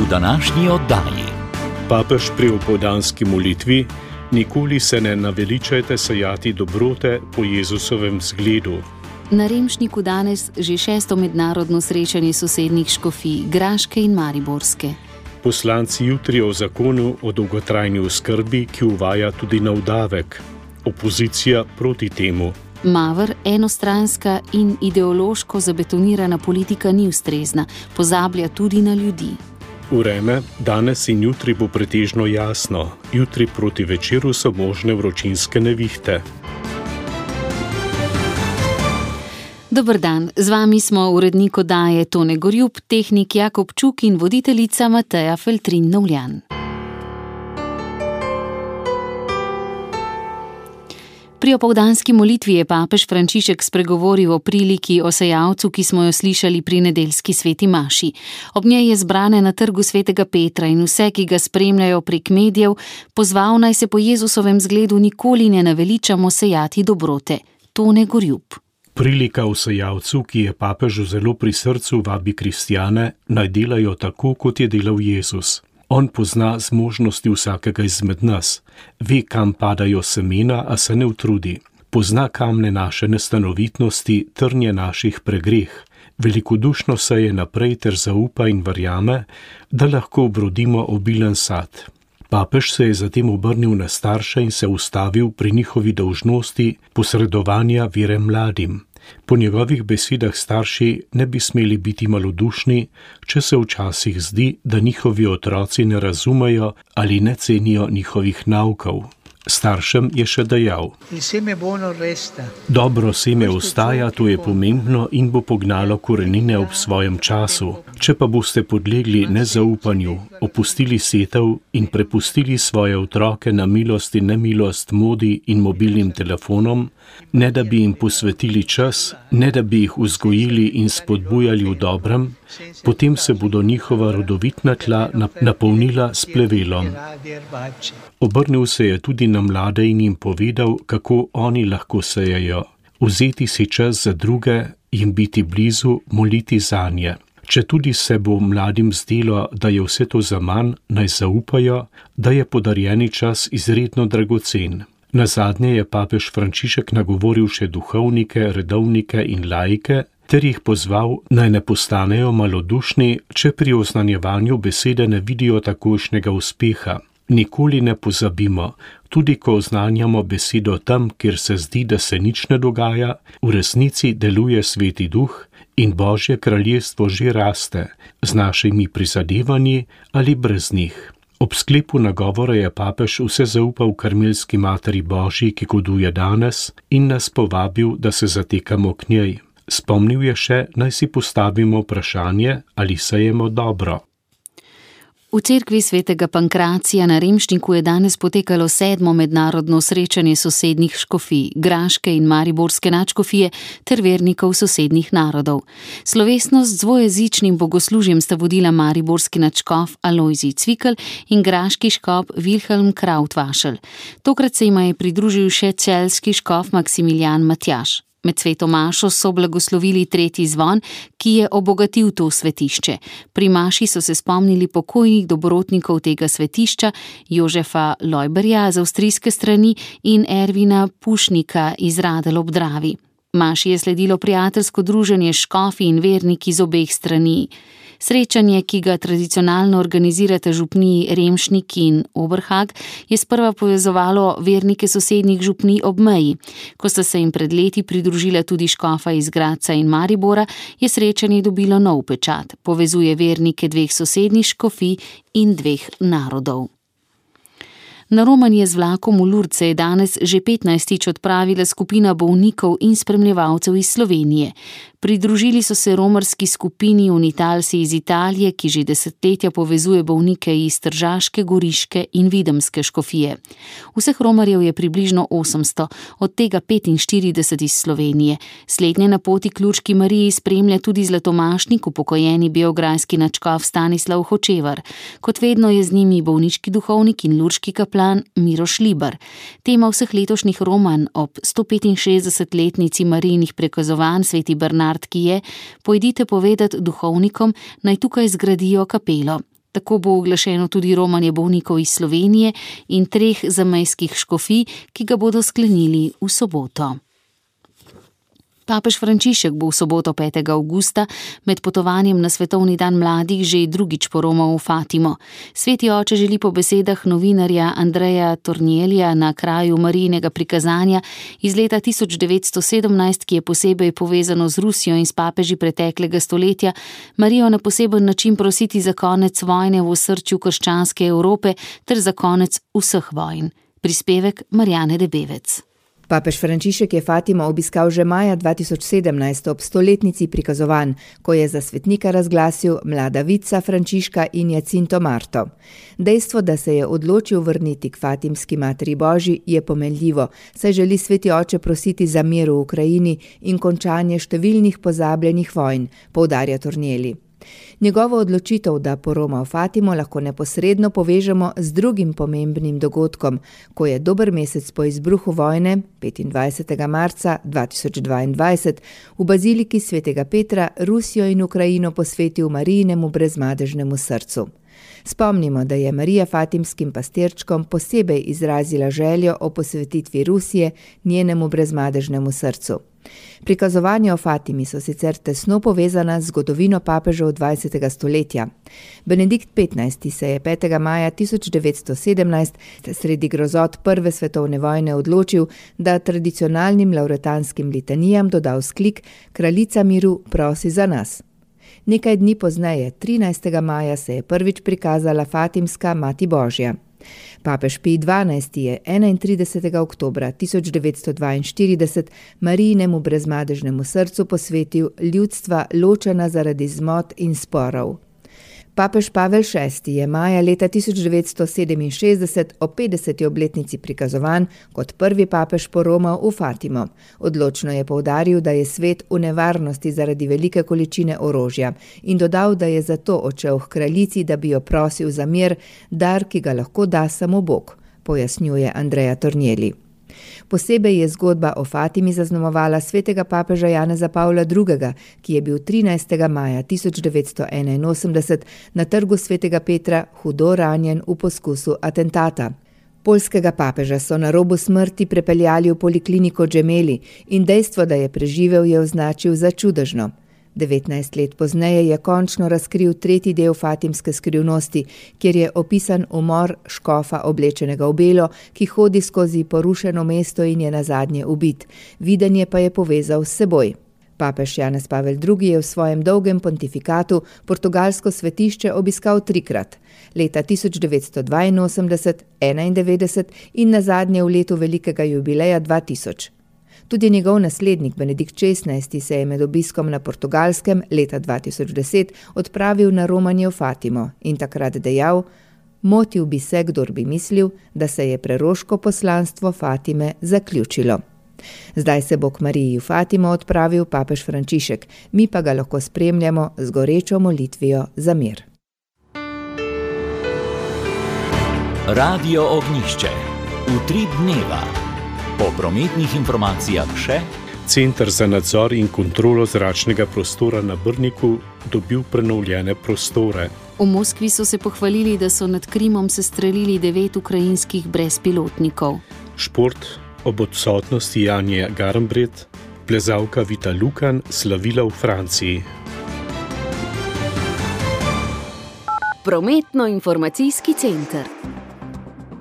današnji oddaji. Papež pri opoldanski molitvi: nikoli se ne naveličajte sejati dobrote po Jezusovem zgledu. Na Remšniku danes že 6. mednarodno srečanje sosednjih škofij, Graške in Mariborske. Poslanci jutri o zakonu o dolgotrajni oskrbi, ki uvaja tudi nov davek. Opozicija proti temu. Mavr, enostranska in ideološko zabetonirana politika ni ustrezna, pozablja tudi na ljudi. Vreme danes in jutri bo pretežno jasno, jutri proti večeru so možne vročinske nevihte. Dober dan, z vami smo urednik oddaje Tone Gorjup, tehnik Jakob Čuk in voditeljica Mateja Feltrin-Novljan. Pri opoldanski molitvi je papež Frančišek spregovoril o priliki o sejalcu, ki smo jo slišali pri nedeljski sveti maši. Ob njej je zbrane na trgu svetega Petra in vse, ki ga spremljajo prek medijev, pozval naj se po Jezusovem zgledu nikoli ne naveličamo sejati dobrote. Tone Gorjup. Prilika o sejalcu, ki je papežu zelo pri srcu, vabi kristjane, naj delajo tako, kot je delal Jezus. On pozna zmožnosti vsakega izmed nas, ve, kam padajo semena, a se ne utrudi. Pozna kamne naše nestanovitnosti, trnje naših pregreh. Velikodušno seje naprej ter zaupa in verjame, da lahko obrodimo obilen sad. Papež se je zatem obrnil na starše in se ustavil pri njihovi dolžnosti posredovanja vere mladim. Po njegovih besedah starši ne bi smeli biti malodušni, če se včasih zdi, da njihovi otroci ne razumejo ali ne cenijo njihovih naukov. Staršem je še dejal: dobro seme ostaja, to je pomembno in bo pognalo korenine ob svojem času. Če pa boste podlegli nezaupanju, opustili setev in prepustili svoje otroke na milost in nemilost modi in mobilnim telefonom, ne da bi jim posvetili čas, ne da bi jih vzgojili in spodbujali v dobrem, potem se bodo njihova rodovitna tla napolnila s plevelom. Obrnil se je tudi na mlade in jim povedal, kako oni lahko sejejo. Vzeti si čas za druge, jim biti blizu, moliti zanje. Če tudi se bo mladim zdelo, da je vse to zaman, naj zaupajo, da je podarjeni čas izredno dragocen. Nazadnje je papež Frančišek nagovoril še duhovnike, redovnike in laike, ter jih pozval, naj ne postanejo malodušni, če pri oznanjevanju besede ne vidijo takojšnjega uspeha. Nikoli ne pozabimo, tudi ko oznanjamo besedo tam, kjer se zdi, da se nič ne dogaja, v resnici deluje Sveti Duh in Božje kraljestvo že raste, z našimi prizadevanji ali brez njih. Ob sklepu nagovora je papež vse zaupal Karmelski Materi Božji, ki goduje danes, in nas povabil, da se zatekamo k njej. Spomnil je še, naj si postavimo vprašanje, ali sejemo dobro. V cerkvi svetega Pankracija na Remšniku je danes potekalo 7. mednarodno srečanje sosednjih škofij, Graške in Mariborske nadškofije ter vernikov sosednjih narodov. Slovesnost z dvojezičnim bogoslužjem sta vodila mariborski nadškof Alojzij Cvikl in graški škof Vilhelm Krautvašel. Tokrat se jima je pridružil še celjski škof Maksimilijan Matjaž. Med sveto mašo so blagoslovili tretji zvon, ki je obogatil to svetišče. Pri maši so se spomnili pokojnih dobrotnikov tega svetišča, Jožefa Lojberja z avstrijske strani in Ervina Pušnika iz Radelj ob Dravi. Maši je sledilo prijateljsko druženje s škofi in verniki z obeh strani. Srečanje, ki ga tradicionalno organizirata župniji Remšnik in Oberhag, je sprva povezovalo vernike sosednjih župnij ob meji. Ko sta se jim pred leti pridružila tudi škofa iz Gradca in Maribora, je srečanje dobilo nov pečat. Povezuje vernike dveh sosednjih škofij in dveh narodov. Na romanje z vlakom v Lourdes je danes že 15. odpravila skupina bolnikov in spremljevalcev iz Slovenije. Pridružili so se romarski skupini Unitalsi iz Italije, ki že desetletja povezuje bolnike iz Tržaške, Goriške in Videmske škofije. Vseh romarjev je približno 800, od tega 45 iz Slovenije. Slednje na poti k Lurški Mariji spremlja tudi zlatomašnik, upokojeni beograjski nadškof Stanislav Hočevar. Kot vedno je z njimi bolniški duhovnik in lurški kaplan Miroš Libar. Tema vseh letošnjih romanj ob 165-letnici Marijinih prekazovanj Sveti Bernard, ki je: pojdite povedati duhovnikom, naj tukaj zgradijo kapelo. Tako bo oglašeno tudi romanje bolnikov iz Slovenije in 3 zamejskih škofij, ki ga bodo sklenili v soboto. Papež Frančišek bo v soboto 5. avgusta med potovanjem na Svetovni dan mladih že drugič poromal v Fatimo. Sveti oče želi po besedah novinarja Andreja Tornielija na kraju Marijinega prikazanja iz leta 1917, ki je posebej povezano z Rusijo in s papeži preteklega stoletja, Marijo na poseben način prositi za konec vojne v osrčju krščanske Evrope ter za konec vseh vojn. Prispevek Marjane Debevec. Papež Frančišek je Fatimo obiskal že maja 2017 ob 100-letnici prikazovanj, ko je za svetnika razglasil mlada vica Frančiška in Jacinto Marto. Dejstvo, da se je odločil vrniti k Fatimski Materi Božji, je pomenljivo, saj želi sveti oče prositi za mir v Ukrajini in končanje številnih pozabljenih vojn, poudarja Tornieli. Njegovo odločitev, da poroma v Fatimo, lahko neposredno povežemo z drugim pomembnim dogodkom, ko je dober mesec po izbruhu vojne, 25. marca 2022, v baziliki svetega Petra Rusijo in Ukrajino posvetil Marijinemu brezmadežnemu srcu. Spomnimo, da je Marija fatimskim pastirčkom posebej izrazila željo o posvetitvi Rusije njenemu brezmadežnemu srcu. Prikazovanja o Fatimi so sicer tesno povezana z zgodovino papežev 20. stoletja. Benedikt XV. Se je 5. maja 1917 sredi grozot Prve svetovne vojne odločil, da tradicionalnim lauretanskim litanijam doda vzklik Kraljica miru prosi za nas. Nekaj dni pozneje, 13. maja, se je prvič prikazala Fatimska Mati Božja. Papež Pij XII. Je 31. oktobra 1942 Marijinemu brezmadežnemu srcu posvetil ljudstva ločena zaradi zmot in sporov. Papež Pavel VI. Je maja leta 1967 o 50. obletnici prikazovanj kot prvi papež poromal v Fatimo. Odločno je poudaril, da je svet v nevarnosti zaradi velike količine orožja in dodal, da je zato odšel h kraljici, da bi jo prosil za mir, dar, ki ga lahko da samo Bog, pojasnjuje Andrea Tornieli. Posebej je zgodba o Fatimi zaznamovala svetega papeža Janeza Pavla II., ki je bil 13. maja 1981 na trgu svetega Petra hudo ranjen v poskusu atentata. Poljskega papeža so na robu smrti prepeljali v polikliniko Gemelli in dejstvo, da je preživel, je označil za čudežno. 19 let pozneje je končno razkril 3. del Fatimske skrivnosti, kjer je opisan umor škofa oblečenega v belo, ki hodi skozi porušeno mesto in je nazadnje ubit. Videnje pa je povezal s seboj. Papež Janez Pavel II. Je v svojem dolgem pontifikatu portugalsko svetišče obiskal 3-krat. Leta 1982, 1991 in nazadnje v letu velikega jubileja 2000. Tudi njegov naslednik Benedikt XVI. Se je med obiskom na Portugalskem leta 2010 odpravil na romanje v Fatimo in takrat dejal: "Motil bi se, kdor bi mislil, da se je preroško poslanstvo Fatime zaključilo." Zdaj se bo k Mariji v Fatimo odpravil papež Frančišek, mi pa ga lahko spremljamo z gorečo molitvijo za mir. Radio Ognjišče. V 3 dneva. Po prometnih informacijah še: Center za nadzor in kontrolo zračnega prostora na Brniku dobil prenovljene prostore. V Moskvi so se pohvalili, da so nad Krimom sestrelili 9 ukrajinskih brezpilotnikov. Šport. Ob odsotnosti Janje Garnbret, plezalka Vita Lukan slavila v Franciji. Prometno-informacijski center.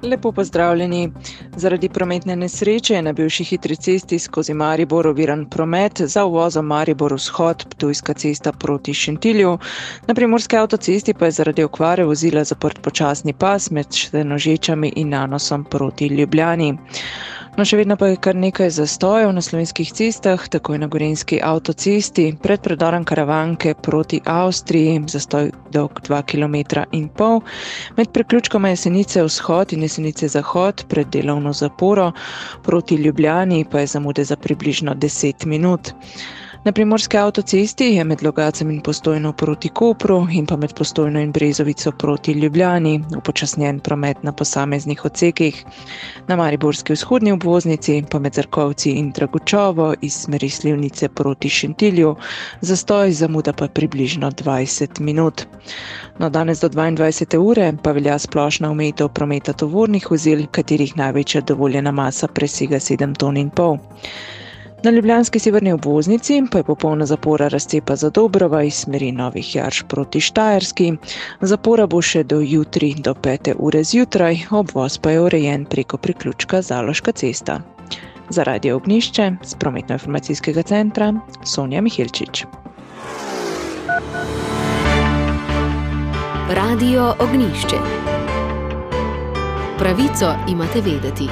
Lepo pozdravljeni. Zaradi prometne nesreče je na bivši hitri cesti skozi Maribor oviran promet za uvozom Maribor vzhod, Ptujska cesta proti Šentilju. Na primorski avtocesti pa je zaradi okvare vozila zaprt počasni pas med Senožečami in Nanosom proti Ljubljani. No, še vedno pa je kar nekaj zastojev na slovenskih cestah, takoj na gorenjski avtocesti, pred predorom Karavanke proti Avstriji, zastoj dolg 2,5 km, med priključkoma Jesenice vzhod in Jesenice zahod pred delovno zaporo, proti Ljubljani pa je zamude za približno 10 minut. Na primorski avtocesti je med Logacem in Postojno proti Kopru in pa med Postojno in Brezovico proti Ljubljani upočasnjen promet na posameznih odsekih. Na mariborski vzhodni obvoznici pa med Zrkovci in Dragučovo iz smeri Slivnice proti Šentilju, zastoj zamuda pa približno 20 minut. No, danes do 22. ure pa velja splošna omejitev prometa tovornih vozil, katerih največja dovoljena masa presega 7,5 ton. Na ljubljanski severni obvoznici pa je popolna zapora razcepa Zadobrova iz smeri Novih Jarš proti Štajerski. Zapora bo še do jutri do 5. ure zjutraj, obvoz pa je urejen preko priključka Zaloška cesta. Za Radio Ognjišče z Prometno-informacijskega centra Sonja Miheličič. Radio Ognjišče. Pravico imate vedeti.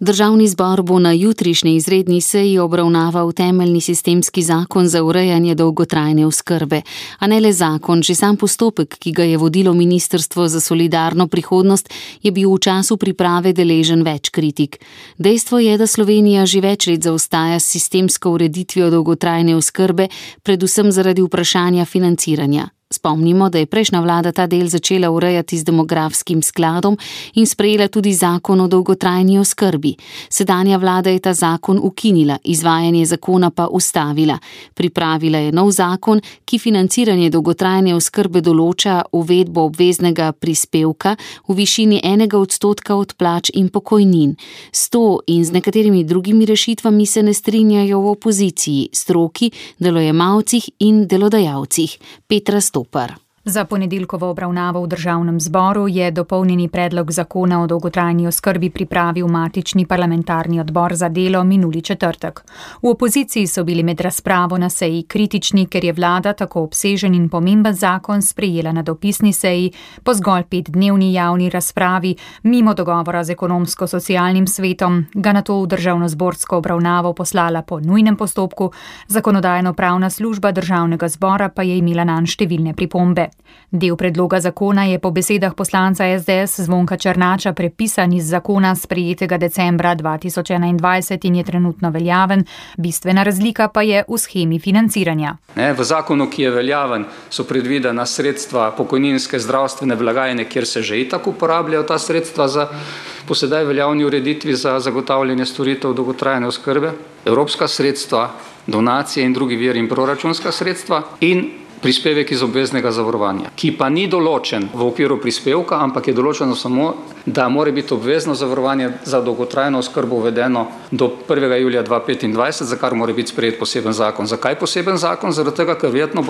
Državni zbor bo na jutrišnji izredni seji obravnaval temeljni sistemski zakon za urejanje dolgotrajne oskrbe, a ne le zakon, že sam postopek, ki ga je vodilo Ministrstvo za solidarno prihodnost, je bil v času priprave deležen več kritik. Dejstvo je, da Slovenija že več let zaostaja s sistemsko ureditvijo dolgotrajne oskrbe, predvsem zaradi vprašanja financiranja. Spomnimo, da je prejšnja vlada ta del začela urejati z demografskim skladom in sprejela tudi zakon o dolgotrajni oskrbi. Sedanja vlada je ta zakon ukinila, izvajanje zakona pa ustavila. Pripravila je nov zakon, ki financiranje dolgotrajne oskrbe določa uvedbo obveznega prispevka v višini 1% od plač in pokojnin. S to in z nekaterimi drugimi rešitvami se ne strinjajo v opoziciji, stroki, delojemalcih in delodajalcih. Petra Stopar. Za ponedeljkovo obravnavo v državnem zboru je dopolnjeni predlog zakona o dolgotrajni oskrbi pripravil matični parlamentarni odbor za delo minuli četrtek. V opoziciji so bili med razpravo na seji kritični, ker je vlada tako obsežen in pomemben zakon sprejela na dopisni seji po zgolj 5-dnevni javni razpravi, mimo dogovora z ekonomsko-socialnim svetom, ga nato v državnozborsko obravnavo poslala po nujnem postopku, zakonodajno-pravna služba državnega zbora pa je imela nanj številne pripombe. Del predloga zakona je po besedah poslanca SDS Zvonka Černača prepisan iz zakona sprejetega decembra 2021 in je trenutno veljaven, bistvena razlika pa je v shemi financiranja. V zakonu, ki je veljaven, so predvidena sredstva pokojninske zdravstvene blagajne, kjer se že itak uporabljajo ta sredstva za po sedaj veljavni ureditvi za zagotavljanje storitev dolgotrajne oskrbe, evropska sredstva, donacije in drugi viri in proračunska sredstva in prispevek iz obveznega zavarovanja, ki pa ni določen v okviru prispevka, ampak je določeno samo, da mora biti obvezno zavarovanje za dolgotrajno oskrbo uvedeno do 1. julija 2025, za kar mora biti sprejet poseben zakon. Zakaj poseben zakon? Zaradi tega, ker verjetno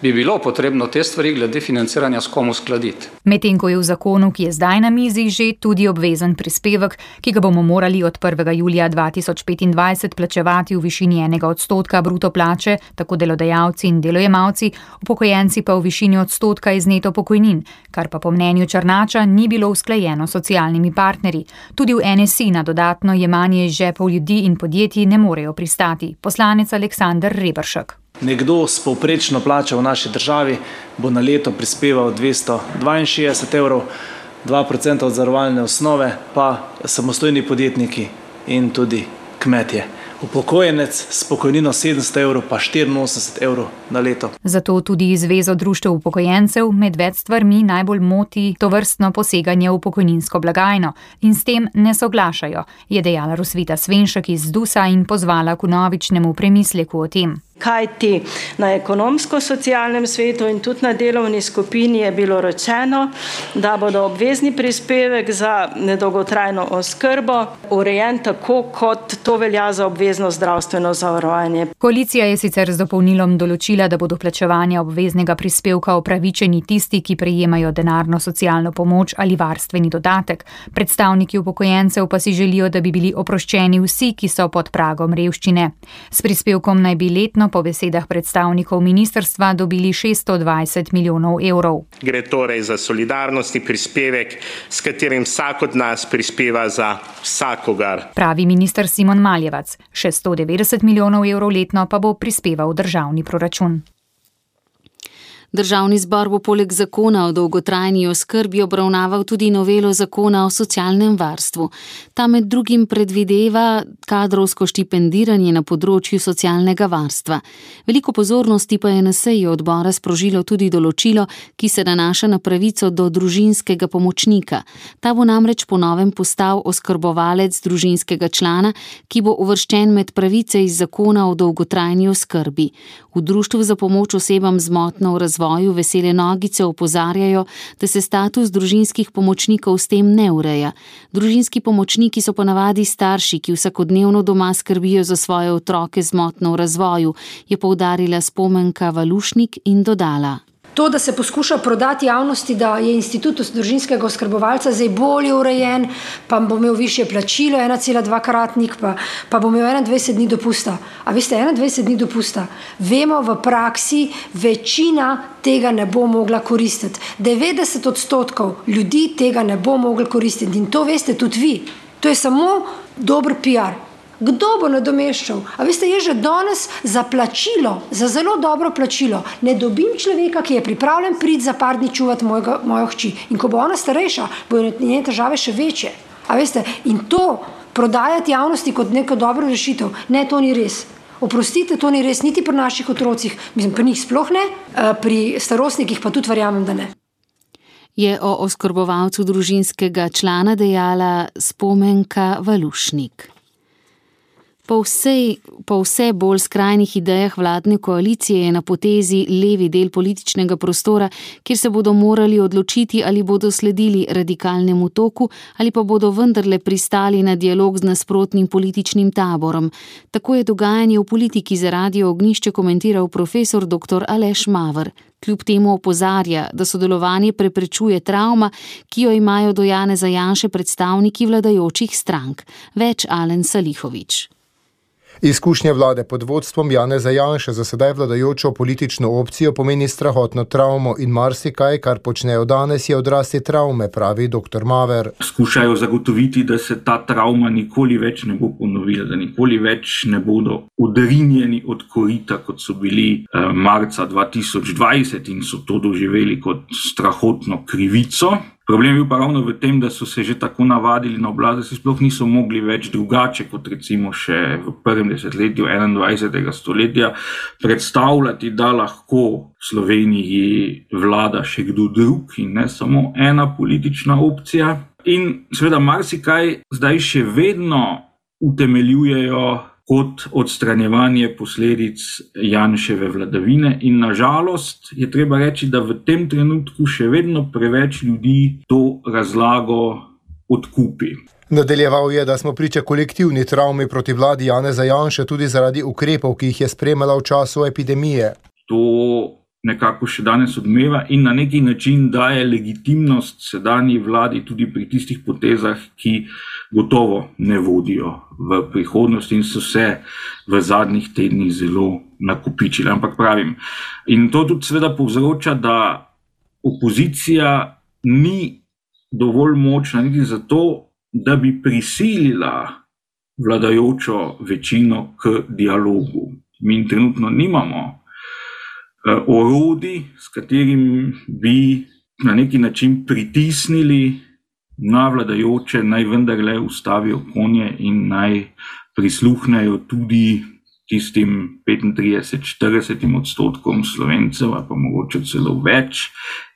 bi bilo potrebno te stvari glede financiranja s kom uskladiti. Medtem ko je v zakonu, ki je zdaj na mizi, že tudi obvezen prispevek, ki ga bomo morali od 1. julija 2025 plačevati v višini 1% bruto plače, tako delodajalci in delojemalci, upokojenci pa v višini 1% iz neto pokojnin, kar pa po mnenju Černača ni bilo usklajeno s socialnimi partnerji. Tudi v NSI na dodatno jemanje iz žepov ljudi in podjetij ne morejo pristati. Poslanec Aleksander Reberšek. Nekdo s povprečno plačo v naši državi bo na leto prispeval 262 evrov, 2% od zavarovalne osnove pa samostojni podjetniki in tudi kmetje. Upokojenec s pokojnino 700 evrov pa 84 evrov na leto. Zato tudi Zvezo društev upokojencev med več stvarmi najbolj moti tovrstno poseganje v pokojninsko blagajno in s tem ne soglašajo, je dejala Rosvita Svenšek iz ZDUS-a in pozvala k vnovičnemu premisleku o tem. Kajti na ekonomsko-socialnem svetu in tudi na delovni skupini je bilo rečeno, da bodo obvezni prispevek za dolgotrajno oskrbo urejen tako, kot to velja za obvezno zdravstveno zavarovanje. Koalicija je sicer z dopolnilom določila, da bodo plačevanja obveznega prispevka upravičeni tisti, ki prejemajo denarno socialno pomoč ali varstveni dodatek. Predstavniki upokojencev pa si želijo, da bi bili oproščeni vsi, ki so pod pragom revščine. S prispevkom naj bi letno po besedah predstavnikov ministrstva dobili 620 milijonov evrov. Gre torej za solidarnostni prispevek, s katerim vsak od nas prispeva za vsakogar. Pravi minister Simon Maljevac. Še 190 milijonov evrov letno pa bo prispeval državni proračun. Državni zbor bo poleg zakona o dolgotrajni oskrbi obravnaval tudi novelo zakona o socialnem varstvu. Ta med drugim predvideva kadrovsko štipendiranje na področju socialnega varstva. Veliko pozornosti pa je na seji odbora sprožilo tudi določilo, ki se nanaša na pravico do družinskega pomočnika. Ta bo namreč po novem postal oskrbovalec družinskega člana, ki bo uvrščen med pravice iz zakona o dolgotrajni oskrbi. V Društvu za pomoč osebam z motnjo v razvoju Vesele nogice opozarjajo, da se status družinskih pomočnikov s tem ne ureja. Družinski pomočniki so ponavadi starši, ki vsakodnevno doma skrbijo za svoje otroke z motnjo v razvoju, je poudarila Spomenka Valušnik in dodala. To, da se poskuša prodati javnosti, da je institut družinskega oskrbovalca zdaj bolje urejen, pa bo imel višje plačilo, 1,2-kratnik, pa bo imel 21 dni dopusta. A veste, 21 dni dopusta. Vemo v praksi, večina tega ne bo mogla koristiti. 90% ljudi tega ne bo mogla koristiti in to veste tudi vi. To je samo dober PR. Kdo bo nadomeščal? A veste, je že danes za plačilo, za zelo dobro plačilo, ne dobim človeka, ki je pripravljen priti za par dni čuvati mojo hči. In ko bo ona starejša, bojo njene težave še večje. A veste, in to prodajati javnosti kot neko dobro rešitev, ne, to ni res. Oprostite, to ni res, niti pri naših otrocih, mislim, pri njih sploh ne, pri starostnikih pa tudi verjamem, da ne. Je o oskrbovalcu družinskega člana dejala Spomenka Valušnik. Po vse bolj skrajnih idejah vladne koalicije je na potezi levi del političnega prostora, kjer se bodo morali odločiti, ali bodo sledili radikalnemu toku ali pa bodo vendarle pristali na dialog z nasprotnim političnim taborom. Tako je dogajanje v politiki za Radio Ognjišče komentiral profesor dr. Aleš Maver. Kljub temu opozarja, da sodelovanje preprečuje travma, ki jo imajo do Janeza Janše predstavniki vladajočih strank. Več Alen Salihović. Izkušnje vlade pod vodstvom Janeza Janše za sedaj vladajočo politično opcijo pomeni strahotno travmo in marsikaj, kar počnejo danes, je odrasti travme, pravi dr. Maver. Skušajo zagotoviti, da se ta travma nikoli več ne bo ponovila, da nikoli več ne bodo odrinjeni od korita, kot so bili marca 2020 in so to doživeli kot strahotno krivico. Problem je bil pa ravno v tem, da so se že tako navadili na oblast, da se sploh niso mogli več drugače, kot recimo še v prvem desetletju 21. stoletja, predstavljati, da lahko v Sloveniji vlada še kdo drug in ne samo ena politična opcija. In seveda marsikaj zdaj še vedno utemeljujejo kot odstranjevanje posledic Janševe vladavine in nažalost je treba reči, da v tem trenutku še vedno preveč ljudi to razlago odkupi. Nadaljeval je, da smo priča kolektivni travmi proti vladi Janeza Janše tudi zaradi ukrepov, ki jih je sprejemala v času epidemije. To nekako še danes odmeva in na neki način daje legitimnost sedanji vladi tudi pri tistih potezah, ki gotovo ne vodijo v prihodnosti in so se v zadnjih tednih zelo nakopičili. Ampak pravim, in to tudi seveda povzroča, da opozicija ni dovolj močna niti zato, da bi prisilila vladajočo večino k dialogu. Mi trenutno nimamo orodij, s katerim bi na neki način pritisnili na vladajoče, naj vendarle ustavijo konje in naj prisluhnejo tudi tistim 35-40% Slovencev, pa mogoče celo več,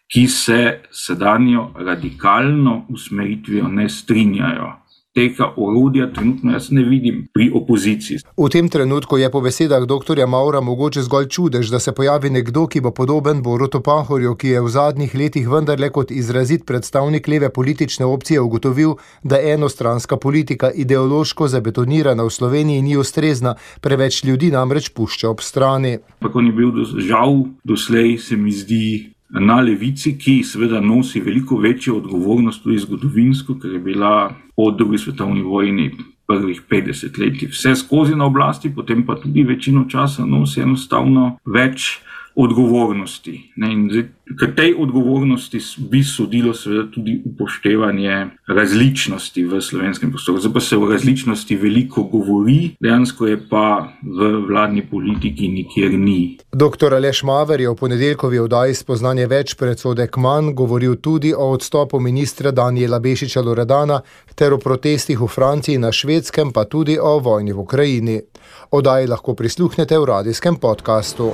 ki se sedanjo radikalno usmeritvijo ne strinjajo. Tega orodja trenutno jaz ne vidim pri opoziciji. V tem trenutku je po besedah dr. Mavra mogoče zgolj čudež, da se pojavi nekdo, ki bo podoben Borutu Pahorju, ki je v zadnjih letih vendarle kot izrazit predstavnik leve politične opcije ugotovil, da enostranska politika ideološko zabetonirana v Sloveniji ni ustrezna, preveč ljudi namreč pušča ob strani. Pa on je bil žal doslej, se mi zdi, na levici, ki seveda nosi veliko večjo odgovornost tudi zgodovinsko, ker je bila po drugi svetovni vojni prvih 50 let vse skozi na oblasti, potem pa tudi večino časa nosi enostavno več odgovornosti. In k tej odgovornosti bi sodilo seveda tudi upoštevanje različnosti v slovenskem prostoru. Zdaj pa se o različnosti veliko govori, dejansko je pa v vladni politiki nikjer ni. Dr. Aleš Maver je v ponedeljkovi oddaji Spoznanje več predsodek manj govoril tudi o odstopu ministra Danijela Bešiča Loredana ter o protestih v Franciji in na Švedskem, pa tudi o vojni v Ukrajini. Oddaji lahko prisluhnete v radijskem podkastu.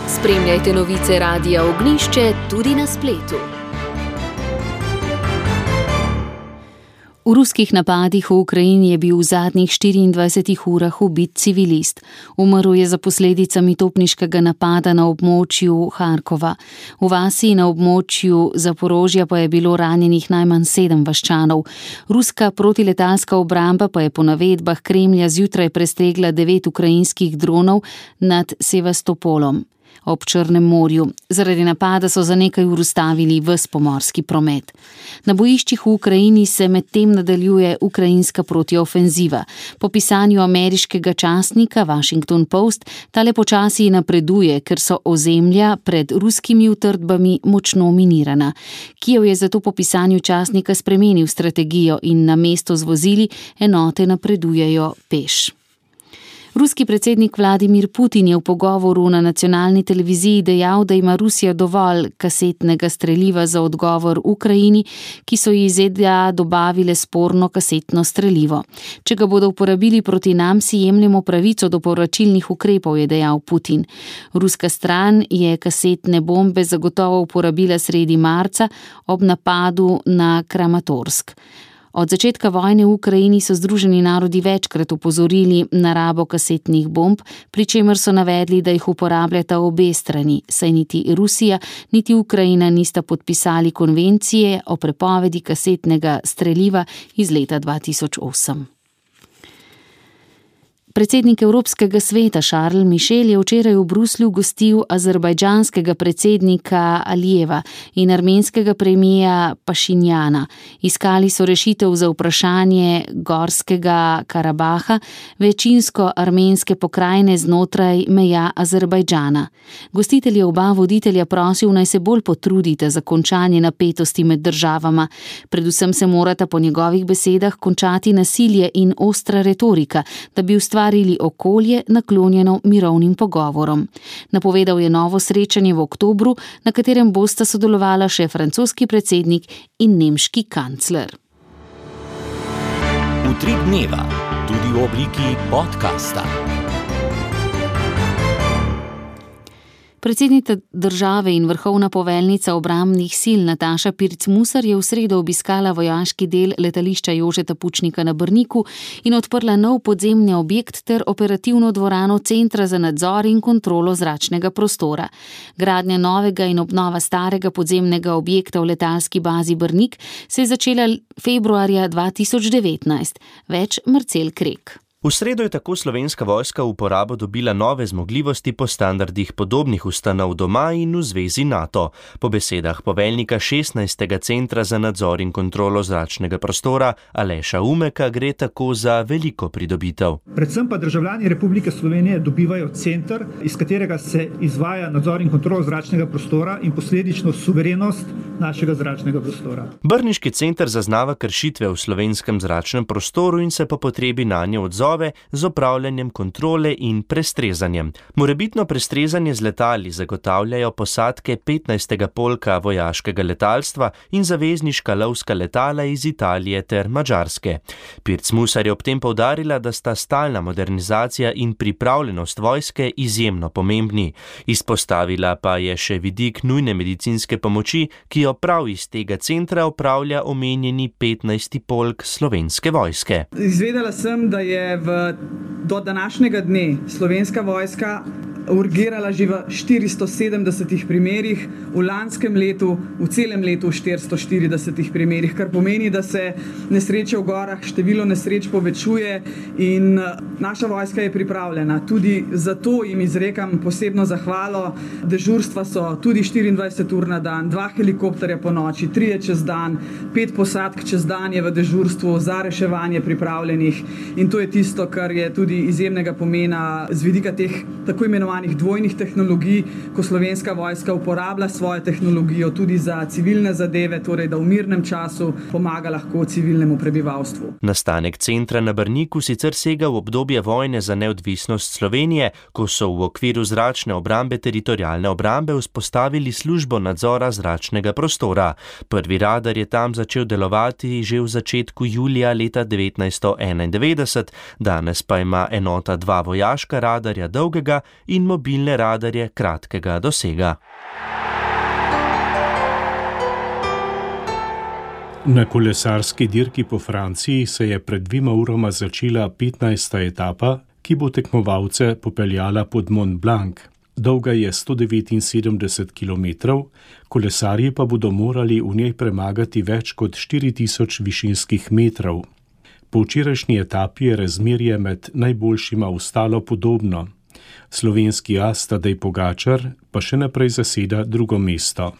Spremljajte novice Radia Ognjišče tudi na spletu. V ruskih napadih v Ukrajini je bil v zadnjih 24 urah ubit civilist. Umrl je za posledicami topniškega napada na območju Harkova. V vasi na območju Zaporožja pa je bilo ranjenih najmanj 7 vaščanov. Ruska protiletalska obramba pa je po navedbah Kremlja zjutraj prestregla 9 ukrajinskih dronov nad Sevastopolom ob Črnem morju. Zaradi napada so za nekaj ur ustavili ves pomorski promet. Na bojiščih v Ukrajini se medtem nadaljuje ukrajinska protiofenziva. Po pisanju ameriškega časnika Washington Post tale počasi napreduje, ker so ozemlja pred ruskimi utrdbami močno minirana. Kijev je zato po pisanju časnika spremenil strategijo in namesto z vozili enote napredujejo peš. Ruski predsednik Vladimir Putin je v pogovoru na nacionalni televiziji dejal, da ima Rusija dovolj kasetnega streliva za odgovor Ukrajini, ki so ji ZDA dobavile sporno kasetno strelivo. Če ga bodo uporabili proti nam, si jemljemo pravico do povračilnih ukrepov, je dejal Putin. Ruska stran je kasetne bombe zagotovo uporabila sredi marca ob napadu na Kramatorsk. Od začetka vojne v Ukrajini so Združeni narodi večkrat opozorili na rabo kasetnih bomb, pri čemer so navedli, da jih uporabljata obe strani, saj niti Rusija, niti Ukrajina nista podpisali konvencije o prepovedi kasetnega streliva iz leta 2008. Predsednik Evropskega sveta Charles Michel je včeraj v Bruslju gostil azerbajdžanskega predsednika Alijeva in armenskega premijera Pašinjana. Iskali so rešitev za vprašanje Gorskega Karabaha, večinsko armenske pokrajine znotraj meja Azerbajdžana. Gostitelj je oba voditelja prosil, naj se bolj potrudite za končanje napetosti med državama. Predvsem se morata po njegovih besedah končati nasilje in ostra retorika, da bi ustvarili okolje naklonjeno mirovnim pogovorom. Napovedal je novo srečanje v oktobru, na katerem bosta sodelovala še francoski predsednik in nemški kancler. Utrip dneva, tudi v obliki podcasta. Predsednica države in vrhovna poveljnica obrambnih sil Nataša Pirc Musar je v sredo obiskala vojaški del letališča Jožeta Pučnika na Brniku in odprla nov podzemni objekt ter operativno dvorano Centra za nadzor in kontrolo zračnega prostora. Gradnja novega in obnova starega podzemnega objekta v letalski bazi Brnik se je začela februarja 2019. Več Marcel Krek. V sredo je tako Slovenska vojska v uporabo dobila nove zmogljivosti po standardih podobnih ustanov doma in v zvezi NATO. Po besedah poveljnika 16. Centra za nadzor in kontrolo zračnega prostora Aleša Umeka gre tako za veliko pridobitev. Predvsem pa državljani Republike Slovenije dobivajo center, iz katerega se izvaja nadzor in kontrolo zračnega prostora in posledično suverenost našega zračnega prostora. Brniški center zaznava kršitve v slovenskem zračnem prostoru in se po potrebi nanje odzove z opravljanjem kontrole in prestrezanjem. Morebitno prestrezanje z letali zagotavljajo posadke 15. polka vojaškega letalstva in zavezniška lovska letala iz Italije ter Madžarske. Pirc Musar je ob tem poudarila, da sta stalna modernizacija in pripravljenost vojske izjemno pomembni. Izpostavila pa je še vidik nujne medicinske pomoči, ki jo prav iz tega centra opravlja omenjeni 15. polk Slovenske vojske. Izvedela sem, da je do današnjega dne Slovenska vojska urgirala že v 470 primerih, v lanskem letu, v celem letu 440 primerih, kar pomeni, da se nesreče v gorah, število nesreč povečuje in naša vojska je pripravljena. Tudi zato jim izrekam posebno zahvalo. Dežurstva so tudi 24 ur na dan, 2 helikopterja po noči, 3 čez dan, 5 posadk čez dan je v dežurstvu za reševanje pripravljenih in to je tisto, kar je tudi izjemnega pomena z vidika teh tako imenovanih imenovanih dvojnih tehnologij, ko Slovenska vojska uporablja svojo tehnologijo tudi za civilne zadeve, torej da v mirnem času pomaga lahko civilnemu prebivalstvu. Nastanek centra na Brniku sicer sega v obdobje vojne za neodvisnost Slovenije, ko so v okviru zračne obrambe teritorialne obrambe vzpostavili službo nadzora zračnega prostora. Prvi radar je tam začel delovati že v začetku julija leta 1991, danes pa ima enota 2 vojaška radarja dolgega in mobilne radarje kratkega dosega. Na kolesarski dirki po Franciji se je pred 2 urama začela 15. etapa, ki bo tekmovalce popeljala pod Mont Blanc. Dolga je 179 km, kolesarji pa bodo morali v njej premagati več kot 4000 višinskih metrov. Po včerajšnji etapi je razmerje med najboljšima ostalo podobno. Slovenski as Tadej Pogačar pa še naprej zaseda drugo mesto.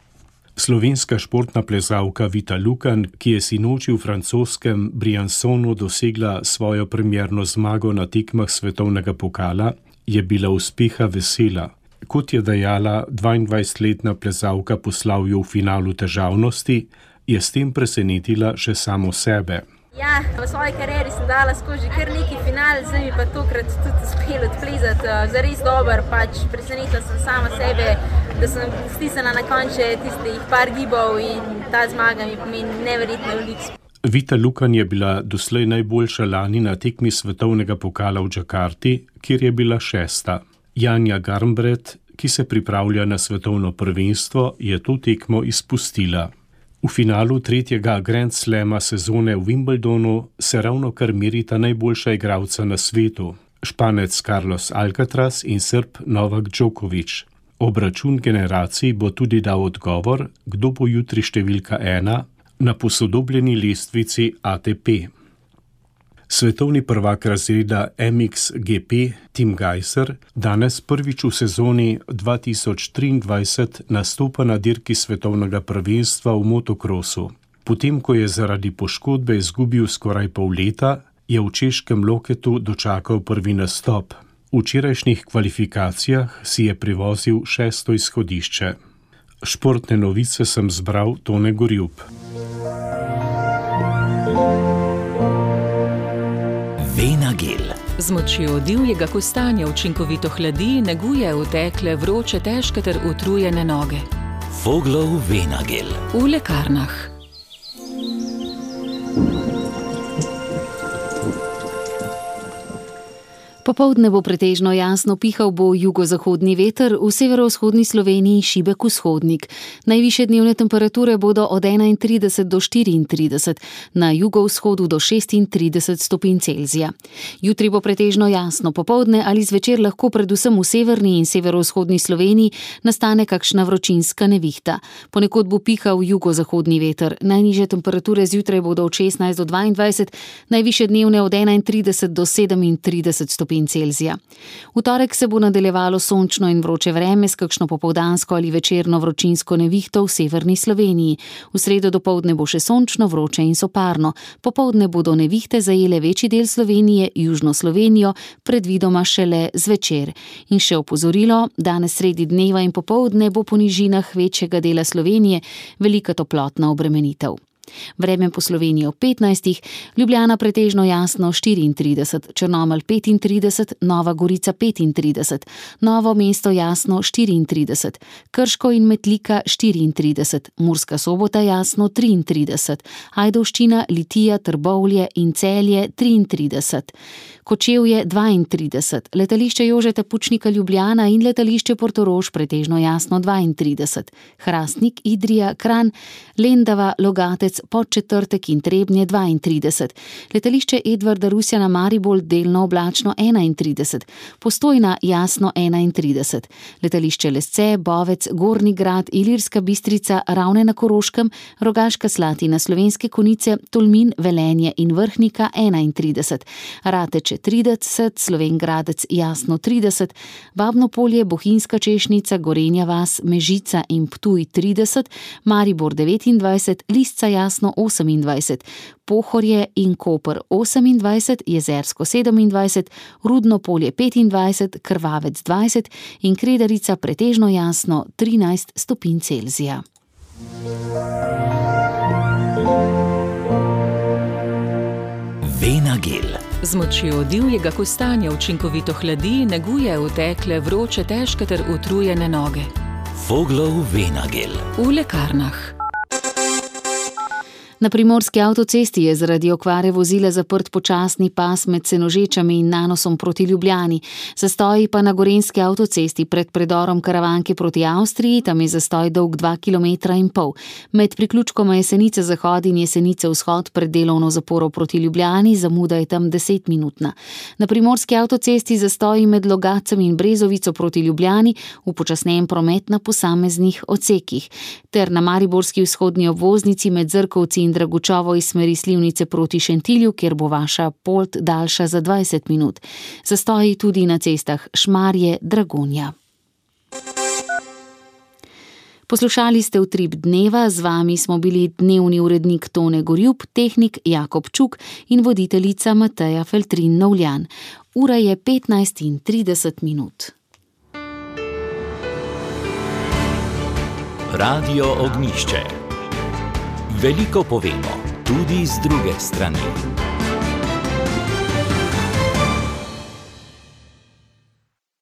Slovenska športna plezalka Vita Lukan, ki je sinoči v francoskem Briançonu dosegla svojo premierno zmago na tekmah svetovnega pokala, je bila uspeha vesela. Kot je dejala 22-letna plezalka po slavju v finalu težavnosti, je s tem presenetila še samo sebe. Ja, v svoji karieri sem dala skozi kar neki final, zdaj mi pa tokrat tudi uspelo odplezati. Zares dober, presenetila sem sama sebe, da sem stisnila na konče tistih par gibov in ta zmaga mi pomeni neverjetno veliko. Vita Lukan je bila doslej najboljša lani na tekmi svetovnega pokala v Džakarti, kjer je bila 6. Janja Garnbret, ki se pripravlja na svetovno prvenstvo, je to tekmo izpustila. V finalu 3. Grand Slama sezone v Wimbledonu se ravno kar merita najboljša igralca na svetu, Španec Carlos Alcaraz in Srb Novak Djokovic. Obračun generacij bo tudi dal odgovor, kdo bo jutri številka 1 na posodobljeni lestvici ATP. Svetovni prvak razreda MXGP Tim Gajser danes prvič v sezoni 2023 nastopa na dirki svetovnega prvenstva v motokrosu. Potem, ko je zaradi poškodbe izgubil skoraj pol leta, je v češkem Loketu dočakal prvi nastop. V včerajšnjih kvalifikacijah si je privozil 6. izhodišče. Športne novice sem zbral Tone Gorjub. Venagel. Z močjo divjega kostanja učinkovito hladi, neguje otekle, vroče, težke ter utrujene noge. Voglov Venagel. V lekarnah. Popoldne bo pretežno jasno, pihal bo jugozahodni veter, v severovzhodni Sloveniji šibek vzhodnik. Najvišje dnevne temperature bodo od 31 do 34, na jugovzhodu do 36 stopinj Celzija. Jutri bo pretežno jasno, popoldne ali zvečer lahko predvsem v severni in severovzhodni Sloveniji nastane kakšna vročinska nevihta. Ponekod bo pihal jugozahodni veter. Najnižje temperature zjutraj bodo od 16 do 22, najvišje dnevne od 31 do 37 stopinj Celzija. V torek se bo nadaljevalo sončno in vroče vreme s kakšno popoldansko ali večerno vročinsko nevihto v severni Sloveniji. V sredo dopoldne bo še sončno, vroče in soparno. Popoldne bodo nevihte zajele večji del Slovenije, južno Slovenijo, predvidoma šele zvečer. In še opozorilo, danes sredi dneva in popoldne bo po nižinah večjega dela Slovenije velika toplotna obremenitev. Vreme po Sloveniji ob 15, Ljubljana pretežno jasno 34, Črnomelj 35, Nova Gorica 35, Novo mesto jasno 34, Krško in Metlika 34, Murska Sobota jasno 33, Ajdovščina, Litija, Trbovlje in Celje 33, Kočevje 32, letališče Jožeta Pučnika Ljubljana in letališče Portorož pretežno jasno 32, Hrastnik, Idrija, Kranj, Lendava, Logatec, Podčetrtek in Trebnje 32, letališče Edvarda Rusjana Maribor delno oblačno 31, Postojna jasno 31, letališče Lesce, Bovec, Gornji Grad, Ilirska Bistrica, Ravne na Koroškem, Rogaška Slatina, Slovenske Konjice, Tolmin, Velenje in Vrhnika 31, Rateče 30, Slovenj Gradec jasno 30, Babno Polje, Bohinjska Češnica, Gorenja vas, Mežica in Ptuj 30, Maribor 29, Lisca Jasno 28, Pohorje in Koper 28, Jezersko 27, Rudno Polje 25, Krvavec 20 in Kredarica pretežno jasno 13 stopinj Celzija. Venagel. Z močjo divjega kostanja učinkovito hladi, neguje otekle, vroče, težke ter utrujene noge. Voglov Venagel. V lekarnah. Na primorski avtocesti je zaradi okvare vozila zaprt počasni pas med Senožečami in Nanosom proti Ljubljani. Zastoji pa na gorenjski avtocesti pred predorom Karavanke proti Avstriji, tam je zastoj dolg 2,5 km. Med priključkoma Jesenice Zahod in Jesenice Vzhod pred delovno zaporo proti Ljubljani, zamuda je tam 10-minutna. Na primorski avtocesti zastoji med Logacem in Brezovico proti Ljubljani, upočasnjen promet na posameznih odsekih. Ter na mariborski vzhodni obvoznici med Zrkovci in Dragučovo iz smeri Slivnice proti Šentilju, kjer bo vaša pot daljša za 20 minut. Zastoji tudi na cestah Šmarje, Dragonja. Poslušali ste Utrip dneva, z vami smo bili dnevni urednik Tone Gorjup, tehnik Jakob Čuk in voditeljica Mateja Feltrin Novljan. Ura je 15:30. Radio Ognjišče. Veliko povemo, tudi z druge strani.